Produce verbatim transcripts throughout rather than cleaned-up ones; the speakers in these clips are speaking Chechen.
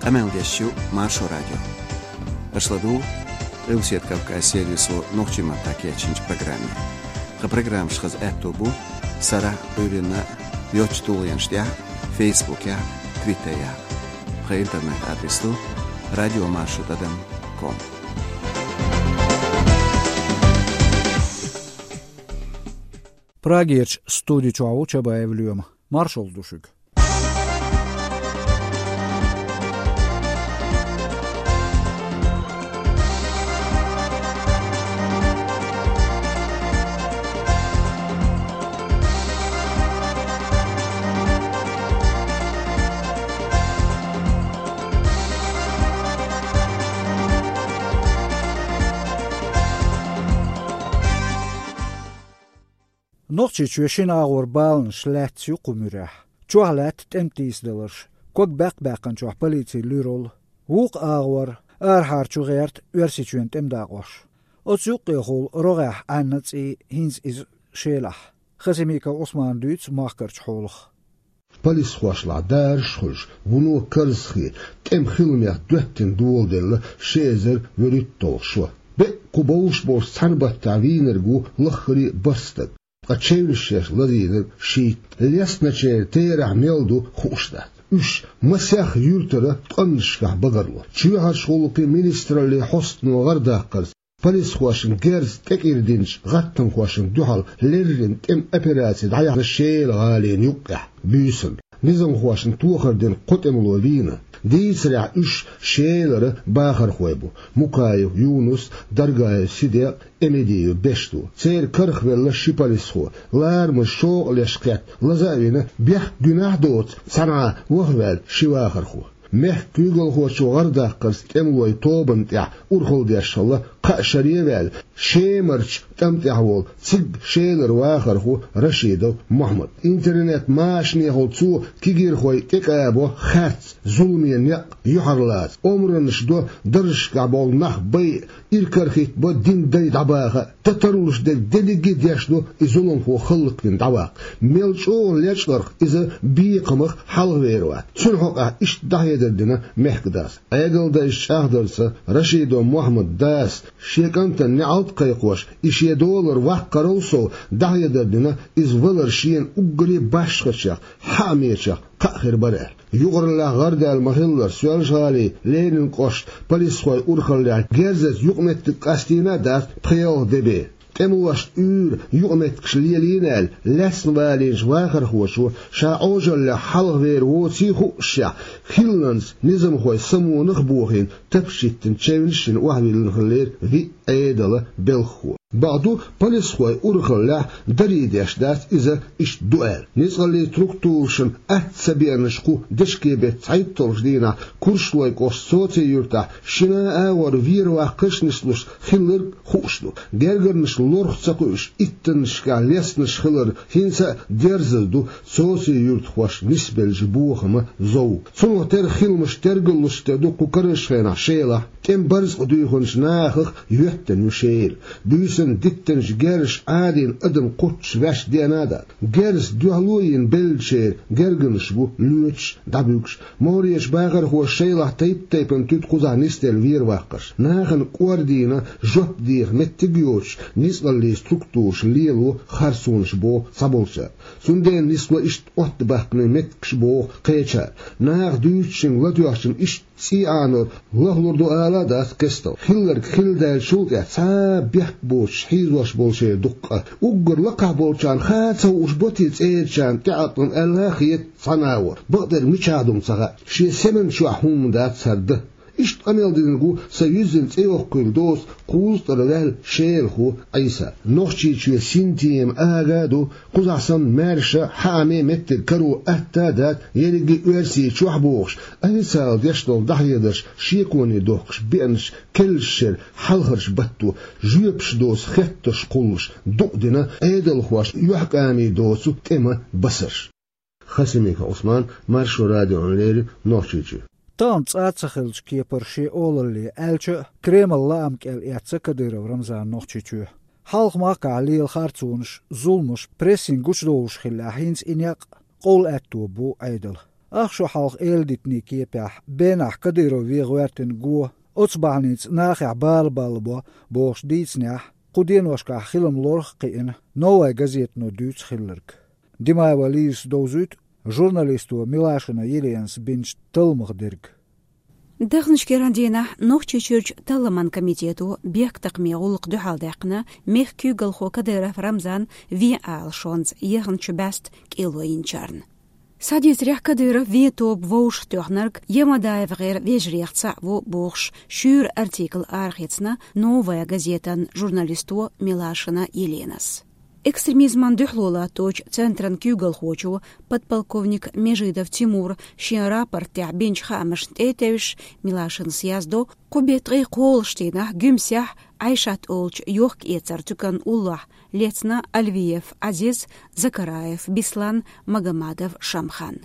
Къамел деш ю Маршо радио. Аша ладугӀу Къилбаседа Кавказ сервисо нохчийн маттахь кечйинчу программе. Тхан программаш хаза аьтто бу сарахь а, Ӏуьйранна а йоцчу тулгӀенаш тӀехь а, Фейсбукехь а, Твиттерехь а. Тхан интернет-адрес ду радиомаршо тӀадам ком. Прагерчу студи чохь ву Чабаев Лоьма. Маршалла ду шуьга. Нохчийчоь шина агӀор баланаш лаьцна ю кху муьрехь. Чохь лаьтта тӀеман тийсадаларш, ког баьккхина-баьккхинчохь полицин луьйралла. Вукху агӀор арахьара чу гӀерта Оьрсийчоьнан тӀеман дакъош. Оцу юккъехула рогӀехь Ӏаьнна цӀий хӀинца иза Шелахь. Хасимиков Ӏусмана дуьйцу махкарчу хьолах. Полисхошлахь дараш а хуьлуш, вуно карзахе, тӀеман хиламех доьттина доладелла ши эзар вуьрхӀитталгӀа шо. БӀе кху бовш болчу цхьана баттахь вийнарг ву лаххара а бархӀ стаг, ткъа чевнаш шаьш лазийнарг шийтта. Лестначеран терахь мел ду хууш дац. Уьш масех юьртара ткъаннашкахь багарло. Чоьхьарчу гӀуллакхийн министраллин хьостано гӀардаккхарца, полисхошна герз тӀекӀира динчу гӀаттамхошна дуьхьал леррина тӀеман операци дӀаяьхьна Шела гӀалина юккъехь буьйсанна. Низамхошна тохар дина кхо тӀемало вийна. Дийцарехь, уьш Шелара бахархой бу: Мукаев Юнус, Даргаев Сидекъ, Эмедиев Бешту. Церан карахвелла ши полисхо, ларамаза шокъалеш кхетта, лаза а вина, бехк-гуьнахь а доцу, цхьаьна вахаваьлла ши вахархо. Мехкан куьйгалхочо гӀардаккхарца тӀемалойн тобанна тӀехь урхалла деш хилла кхаа шаре а ваьлла, Шемарчу тӀам тӀехь волу цига Шелара вахархо Рашидов Мохьмад. Интернет-машанехула цо кегийрхой тӀекъабо харц, зуламе некъ юьхьарлаца, омранаш до, даржашкахь болу нах байа, иракарахӀиттабо динан дай дӀабаха а, дан тарлуш дерг дерриге а деш ду и зуламхо хӀаллаквина дӀаваккха. Мел чӀогӀа лечкъарх иза бекхамах хьалхавер вац. Цуьнан хьокъехь иштта дӀахьедар дина мехкан дас. Ӏедалдайша чӀагӀдарца, Рашидов Мохьмадан дас, шен кӀантана неӀалт кхайкхош, и шен долара ваккхарал сов, дӀахьедар дина, иза валар шена уггаре башхачех, хьаамечех кхаъ хир бара аьлла. Юкъараллехь гӀардаьлла ма-хиллара, Соьлжа-ГӀалин Ленинан кӀоштан полисхойн урхаллехь герзаца юкъаметтиг къастийна а дац пхи-ялх де бен. ТӀемалошна уьйра юкъаметтигаш лелийна аьлла, лаьцна валийначу вахархочо, ша Ӏожаллех хьалхавер воций а хууш, хилланца низамхойн самонах а бохийна, тапча йиттина чевнаш а йина охьавиллина хиллера виъ Ӏедалан белхахо. Бакъду, полисхойн урхаллехь дарий деш дац иза иштта ду аьлла. Ницкъаллин структурашна атта ца беанарш кху дешкебеттан цхьайтталгӀачу дийнахь Куршлойн кӀоштан Соци-Юьртахь шина а агӀор вер-ваккхарш а нислуш хилларг хууш ду. Гергарнаш лорах ца кхуьуш, иттаннашкахь лесташ хилар хӀинца а дерзаза ду Соци-Юьртахошна нисбеллачу бохаман зовг. Цунах тера хиламаш тергаллуш тера ду кху карарчу хенахь Шелахь. ТӀеман барзакъ дуьйхинчу нахах йоьттина ю Шела. Буьйсанна диттинчу герзаша Ӏадийна адам кхоччуш ваьш деана а дац. Герз дуьхьало а йина беллачеран гергарнаш бу лоьцуш, дӀабуьгуш. МогӀарерчу бахархоша Шелахь тайп-тайпана туьду кхузахь нисделла вер-ваккхарш. Нахана кӀордийна жоп деха меттиг а йоцуш, ницкъаллин структураш лело харцонаш, боху цхьаболчара. Цундела нисло иштта оттабаьккхина меттигаш, боху кхечара. Наха дуьйцучуьнга латоьхначун иштта цӀий Ӏанор лахлур ду ала а дац кестта. Хилларг хилла даьллачул тӀаьхьа цхьа а бехк боцуш хьийзош болу шайн дуккха а. Уггар лакхахь болчарна хаа ца хууш бу те цӀерачарна тӀеӀаткъам аьлла а хета цхьана агӀор. Бакъдерг мичахь ду-м ца хаьа. Шен семан чохь хӀумма дац хӀара дан. Иштта къамел динарг ву сан юьззина цӀе йоккхуьйлу доцу кхузткъара ваьлла шелахо Ӏийса. Нохчийчоь синтема ага а ду, кхузахь санна маьрша, хьааме меттиг каро атта а дац, ерриге а Оьрсийчохь бохуш, официалан деш долу дӀахьедарш шеконе дохкуш беанчу керлачу шеран хьалхарчу батто жоьпаш доцу хеттарш кхуллуш дукъ дина Ӏедалхошна юьхькӀаме доцу тӀеман басарш. Хасимиков Ӏусман, Маршо радиона леррина, Нохчийчоь. Тахана цкъа а ца хиллачу кепара шен олалле аьлча а, Кремлан лаам кӀел эцна Кадыров Рамзана Нохчийчоь. Хьалха махкахь лела харцонаш, зуламаш, прессинг гучудовлуш хиллехь, хӀинца и некъ къовла аьтто бу Ӏедалан. Ах шо хьалха эладитанийн кепехь, Бенахь Кадыров вен гӀоьртина го, оцу бахьаница нахехь бала баллабо бохуш дийцинехь, кху деношкахь хилам лорах а кхиъна «Новая газетано» дуьйцу хилларг. Димаева Лизас довзуьйту журналисто Милашина Еленас бинчу талламах дерг. Даханчу кху дийнахь Нохчийчуьрчу талламан комитето бехктакхаман гӀуллакх дуьхьалдаьккхина мехкан куьйгалхо Кадыров Рамзан вен ала шонца яханчу бӀаьста кӀело йинчарна. Схьадийцарехь, Кадыров вен тоба вовшахтоьхнарг ЯмадаевгӀеран вежарий цхьаъ ву бохуш, шуьйра артикл арахецна «Новая газетан» журналисто Милашина Еленас. Экстремизмана дуьхьало латточу центран куьйгалхочо, подполковник Межидов Тимура шен рапортехь бинчу хаамашна тӀе а тевжаш, Милашинас яздо, кху беттан ткъе кхоалгӀачу дийнахь Гуьмсехь Ӏайшат олучу йохка-эцаран туьканан уллохь лецна Альвиев Ӏазиз, Закараев Бислан, Магомадов Шамхан.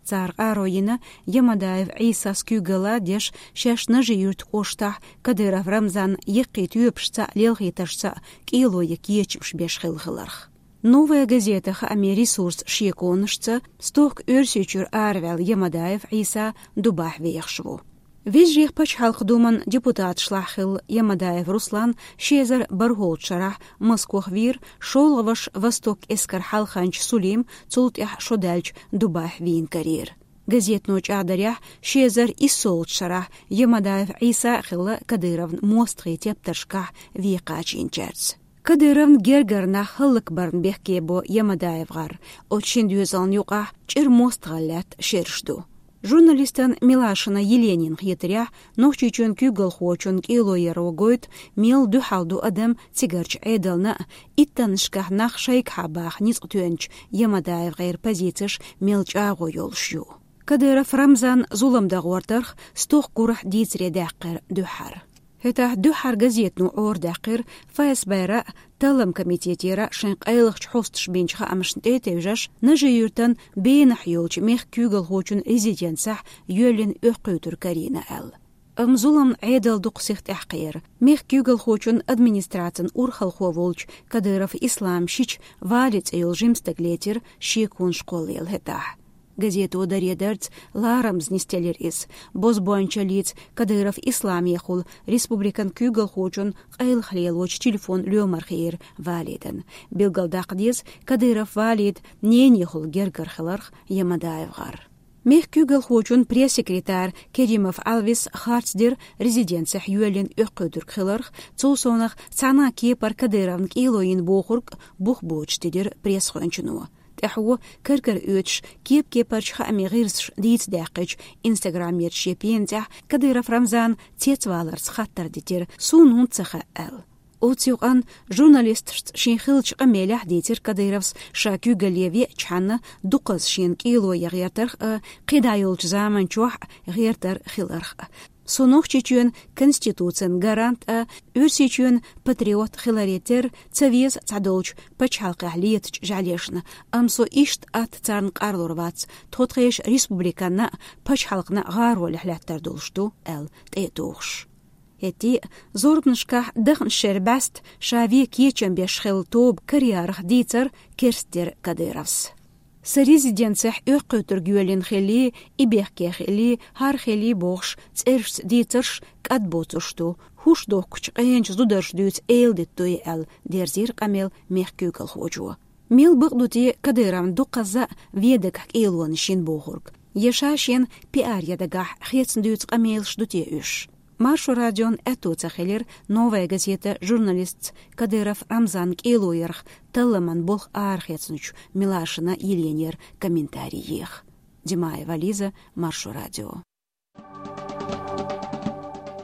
Цара къаро йина Ямадаев Ӏийсас куьйгалла а деш, шаьш Нажи-Юьртан кӀоштахь Кадыров Рамзан яккхий тоьпашца а, лелхийтаршца а кӀело ян кечамаш беш хилла хиларх. «Новая газета» хаамийн ресурсан шеконашца, стохка Оьрсийчуьра араваьлла Ямадаев Ӏийса дубахь вехаш ву. Вежарех пачхьалкхан думан депутаташлахь хилла Ямадаев Руслан ши эзар бархӀолгӀачу шарахь Москох вийра, шолгӀа ваша «Восток» эскаран хьалханча Сулим цул тӀаьхьа шо даьлча дубахь вийна карийра. Газетано чӀагӀдарехь, ши эзар иссолгӀачу шарахь Ямадаев Ӏийса а хилла Кадыровн мостагӀийн тептаршкахь вен кхачийначаьрца. Кадыровн гергара нах хӀаллакбарна бехке бо ЯмадаевгӀар, оцу шина доьзална юкъахь чӀир мостагӀалла лаьтта шераш ду. Журналистан Милашина Еленин хетарехь, Нохчийчоьнан куьйгалхочун кӀело яро гойту, мел дуьхьал ду адам цигарчу Ӏедална а, иттаннашкахь нах шайгахьа баха ницкъ тоьхначу ЯмадаевгӀеран позицеш мел чӀагӀо йолуш ю. Кадыров Рамзан зулам дан гӀортарх стохка гурахь дийцаре даьккхира дуьххьара. ХӀетахь дуьххьара газетано Ӏорадаьккхира ФСБ-ра а, талламан комитетера а шайн къайлахчу хьосташа бинчу хаамашна тӀе а тевжаш, Нажи-Юьртан Бенахь йолчу мехкан куьйгалхочун резиденцехь йоьллина оьккхуьйтург карийна аьлла. Амма зуламна Ӏедал дукха сиха тӀаьхьакхийра. Мехкан куьйгалхочун администрацин урхалхо волчу Кадыров Ислама шича Вали цӀе йолу жима стаг лецира шеконаш кхоллаелла хӀетахь. Газето даре дарца ларамаза нисделира иза. Бозбуунчаллица Кадыров Исламехула республикан куьйгалхочун къайлаха лелочу телефон лоьмар хиира Валидан. Билгалдаккха деза, Кадыров Валидан ненехула гергара хиларх ЯмадаевгӀар. Мехкан куьйгалхочун пресс-секретарь Керимов Алвис харц дира резиденцехь йоьллина оьккхуьйтург хиларх, цул совнах цхьана а кепара Кадыровн кӀело йина бохург бух боцуш тидира пресс-гӀоьнчано. ТӀаьхьо, кар-кара оьцуш, кеп-кепарчу хаамийн гӀирсаша дийца даьккхича, Инстаграмерчу шен пенацӀехь Кадыров Рамзана цецваларца хаттар дитира, суна хӀунда ца хаьа аьлла. Оцу юкъанна журналисташца шен хиллачу къамелехь дийцира Кадыровс, ша куьйгалле веачхьана дукхазза шена кӀело ян гӀертарх а, кхидӀа йолчу заманчохь а гӀертар хиларх а. Со Нохчийчоьнан Конституцин гарант а, Оьрсийчоьнан патриот хиларе терра ца веза цхьадолчу пачхьалкхехь летачу жӀаьлешна, амма со иштта атта царна къарлур вац, тхо тхешан республиканна а, пачхьалкхна а гӀаролехь лаьттар долуш ду, аьлла, тӀе а тухуш. ХӀетте а, зорбанашкахь даханчу шеран бӀаьста ша вен кечам беш хилла тоба караярах дийцар керстдира Кадыровс. Сан резиденцехь оьккхуьйтург йоьллина хиллий, и бехке хиллий, хӀара хиллий бохуш, цӀерашца дийцарш кӀадбоцурш ду, хӀуш дохкучу къеначу зударша дуьйцу эладита ду и аьлла, дерзийра къамел мехкан куьйгалхочо. Мел бакъ ду те Кадыровн дукхазза а вен дагахь кӀелонаш йина бохург? Я ша шена пиар ян дагахь хецна дуьйцу къамелаш ду те уьш? Маршо радион аьтто ца хилира «Новая газета» журналистца Кадыров Рамзанан кӀело ярах талламан болх арахецначу Милашина Еленера комментарий еха. Димаева Лиза, Маршо радио.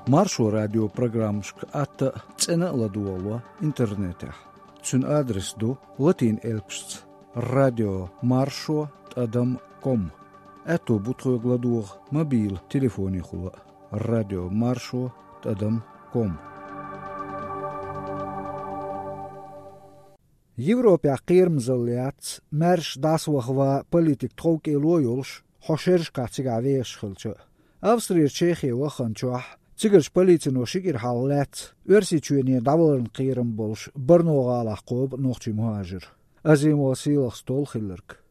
Маршо радион программашка атта а, цӀена а ладогӀало интернетехь. Цуьнан адрес ду латин элпашца: радио маршо тӀадам ком. Аьтто бу тхоьга ладогӀа мобил телефонехула а: радио маршо тӀадам ком. Европехь кхерамзалла яц, маьрша дӀасавахаван политика тхов кӀело а йолуш, хьо шерашкахь цигахь вехаш хилча а. Австрера Чехе ваханчохь, цигарчу полицино ши кӀира хьалха лаьцна Оьрсийчоьне дӀаваларна кхерам болуш Барно-гӀалахь кхобу нохчийн мухӀажир. Азимова Сийлахьс толлу хилларг.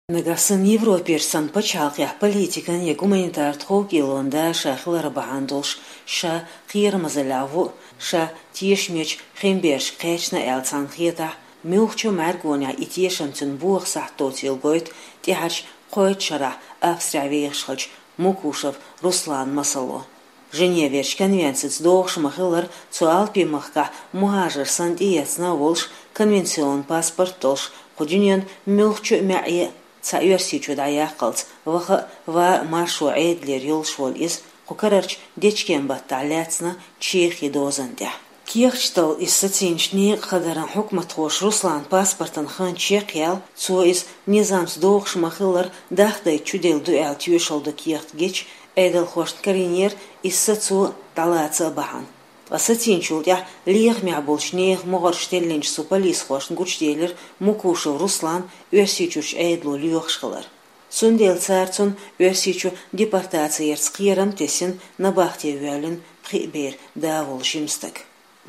Нагахь санна Европерчу санна пачхьалкхехь политикан я гуманитар тховкӀелон да ша хилар бахьана долуш, ша кхерамазаллехь ву, ша тешамечу хинберш кхечна аьлла цхьана хетахь, муьлххачу а мӀаьргонехь и тешам цуьнан боха сахьт доцийла гойту тӀаьхьарчу кхойтта шарахь Австрехь вехаш хилча Мукушев Руслан масало. Женеверчу конвенцица догӀуш ма-хиллара, цо Алпийн махкахь мухӀажар санна тӀеэцна а волуш, конвенционан паспорт а долуш, кху дуьненан муьлххачу а маьӀӀе а цхьа Оьрсийчу дӀаяккхалц, ваха а, ван а маршо Ӏедалера йолуш волу иза, кху карарчу дечкен-баттахь лаьцна Чехин дозан тӀехь. Кехаташ дала иза сацийначу некъа хадаран хьукматхоша Русланан паспортан хан чекхъяьлла, цо иза низамца догӀуш ма-хиллара дахдайта чуделла ду аьлла тоьшалла дан кехат гича, Ӏедалхошна карийнера иза сацо дӀалаца а бахьана. Ткъа сацийначул тӀаьхьа лехамехь болчу нехан могӀарш теллинчу цу полисхошна гучуделира Мукушев Руслан Оьрсийчуьрчу Ӏедало лоьхуш хилар. Цундела цара цунна Оьрсийчу депортаци ярца кхерам а тесна, набахте воьллина пхи бер да волу жима стаг.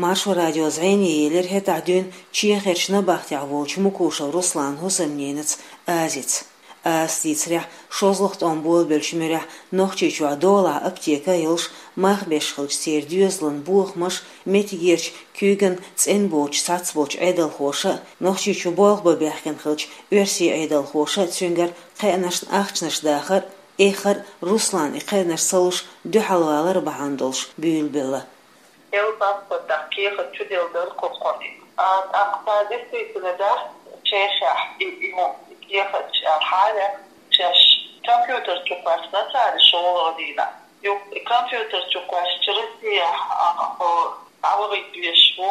Маршо радио зӀене елира хӀетахь дуьйна Чехерчу набахтехь волчу Мукушев Русланан хӀусамненаца Азица. Азас дийцарехь, шозлагӀа тӀом болабеллачу муьрехь Нохчийчохь долахь аптека а йолуш, мах беш хилча церан доьзалан бохамаш, меттигерчу куьйган цӀена боцуш цхьацца болчу Ӏедалхоша а, Нохчийчу болх бан баьхкина хилча оьрсийн Ӏедалхоша а цуьнгара кхаьънашна ахчанаш дахар а, эххар а, Руслана и кхаьънаш ца луш дуьхьалвалар а бахьана долуш буьйлабелла. Эл паспортах кехат чуделла дара кху кхунна. А, тӀаккха цара действительно дац Чехехь и, и, и кехаташ аьлла хьалха, шаьш компьютер чу кхоьссина цара и шолгӀа дийнахь. Юха и компьютер чу кхоьссича Россехь, а, хьо дӀавахийта везаш ву,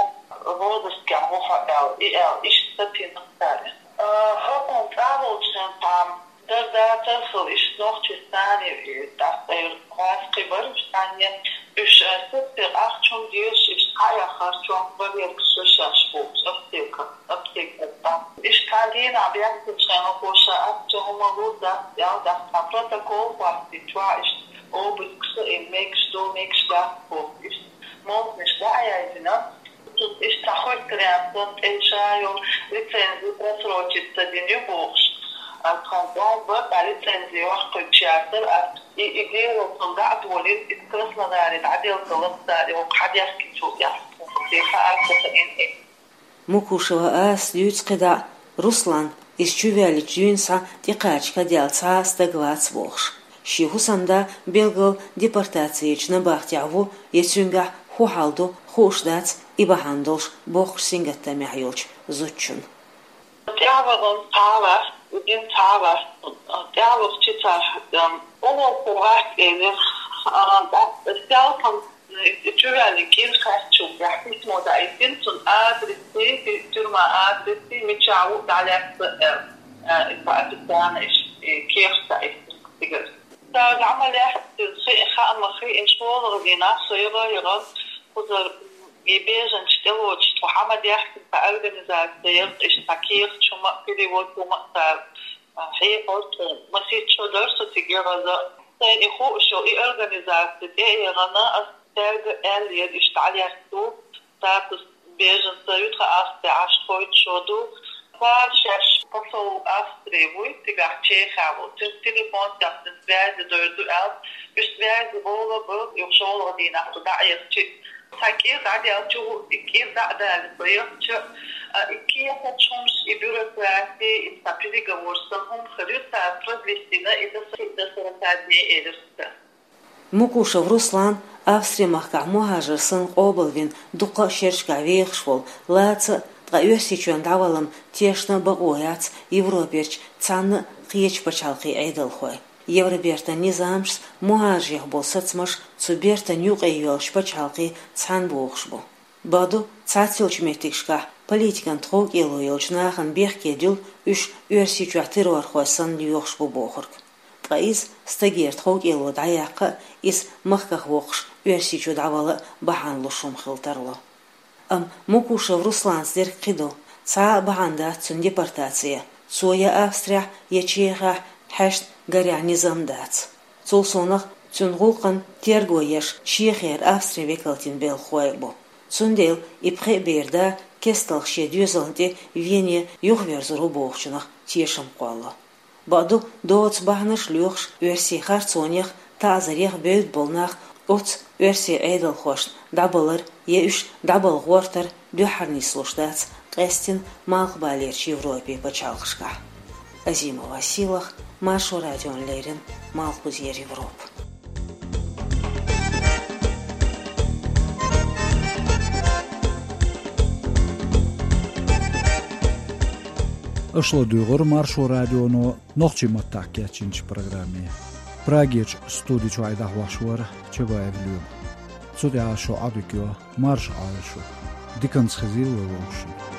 розыскехь ву хьо аьлла, и аьлла, иштта сацийна цара. А, хӀокхунна цӀа волчу хенахь цхьа Дар дацара хила, иштта нохчий санна, и, и, тӀаккха тӀера кхоьссина кхин бара уьш цхьаьна, уьш, э, сацийна ахча хӀума дезаш, иштта схьаэххара чохь бан верг ша шаьш волчу аптека, аптекера тӀе. Иштта цхьана дийнахь баьхкинчу хенахь ша ахча хӀума лур дац аьлла, тӀаккха цхьа протокол хӀоттийна чохь, иштта обыскаш а йина, мегаш ду, мегаш дац бохуш, иштта молханаш дӀа а яздина. Иштта цхьа хуьттаренна санна, тӀе ша йолу лицензи просрочить ца дина ю бохуш, а, тхан тӀом бара, цхьа лицензи ваккхуьйтуш яцара, а, и, и дело цунна дӀа а долийна, иза Краснодаре дӀаделла хилла цара, и хӀокху хьан дехкинчул тӀаьхьа. Цунна хаьа, ца хаьа и. Мукушева Азас дуьйцу кхидӀа а, Руслан, иза чувоьллинчу дуьйна схьа тӀекхача кадаьлла цхьа а стаг вац бохуш. Шен хӀусамда билггал депортаци ярчу набахтехь ву я цуьнгахь хӀун хьал ду, хууш дац и бахьана долуш боккхачу сингаттамехь йолчу зудчунна. ТӀаьхьавахана цхьа а вац, и дина цхьа а вац. ТӀаьхьавахча цара, ам, уллохула вац элира, а, тӀаккха селхана и чувоьллина кӀира хаьттича, письмо даийтина цунна, адрес, тюрьма адрес, мичахь ву дӀалаьцна аьлла, а, и по официально и кехат даийтина цигара. Цара дӀа ма лаьцна, хи-, хаа ма хиъна, шолгӀа дийнахь со яла яра, кхузара и беженцаш тӀелоцуш тхо хьан ма даьхкина, цхьа организаци яра, иштта цхьа кехат хӀума а, перевод хӀума а цара, а, хьехар тхо. Масийтта шо дара со цига яхаза. Сайна и хууш йолу и организаци тӀе а яхана, ас цаьрга аьллера, иштта дӀалаьцна ду, статус беженца ю тхан Австри Ӏаш кхойтта шо ду. Цара шаьш посол Австрии вуй, цигахь Чехехь волу, цуьнца телефон тӀехь цуьнца связи дойр ду аьлла, уьш связи бовла бу, юха шолгӀа дийнахь ду дӀа а яхчи. Цхьа кӀира дӀадаьлча, и кӀира дӀа а далийна со яхча, а, и кехат хӀумаш, и бюрократи, и цхьа переговор санна хӀума хир ю, цара продлить дина, и до сорока дней элира цара. Мукушев Руслан, Австри-махкахь мухӀажар санна къобалвина дуккха а шерашкахь вехаш волу, лаца а, ткъа Оьрсийчоьнна дӀавалар тешна а бакъо яц Европерчу цхьанна а кхечу пачхьалкхийн Ӏедалхойн. Евробертан низамашца мухӀажарех болу сацамаш цу бертан юкъе йолчу пачхьалкхийн цхьаьна бохуш бу. Бакъду, цхьаццайолчу меттигашкахь политикан тховкӀело йолчу нахана бехке дуьллу уьш Оьрсийчохь террорхой санна лоьхуш бу бохург. Ткъа иза стагера тховкӀело дӀаяккха а, иза махках воккхуш Оьрсийчу дӀавала а бахьана луш хӀума хила тарло. Амма Мукушев Русланца дерг кхин ду, цхьа а бахьана дац цуьнан депортаци, цо я Австрехь, я Чехехь хьаьшна гарехь низам дац. Цул совнаха цуьнан гӀуллакхана терго еш Чехера Австрин векалтийн белхахой а бу. Цундела и пхеа бер да кестта шен доьзална тӀе Вене юхаверзор ву бохучунах тешам кхоллало. Бакъду, доцца бахьанаш лоьхуш, оьрсийн харцонех, таӀзарех бевдда болу нах оцу оьрсийн Ӏедалхошна дӀабалар я уьш дӀабала гӀортар дуьххьара нислуш дац къаьсттина Малхбалерчу Европин пачхьалкхашкахь. Азимова Сийлаха, Маршо радиона леррина, Малхбузера Европа. Аша ладуьйгӀира Маршо радионо нохчийн маттахь кечйинчу программе. Прагерчу студи чуьра дӀахьош вара Чабаев Лоьма. Цу тӀехь шун Ӏадика йо, марша Ӏойла шу. Диканца хезийла вай вовшашна.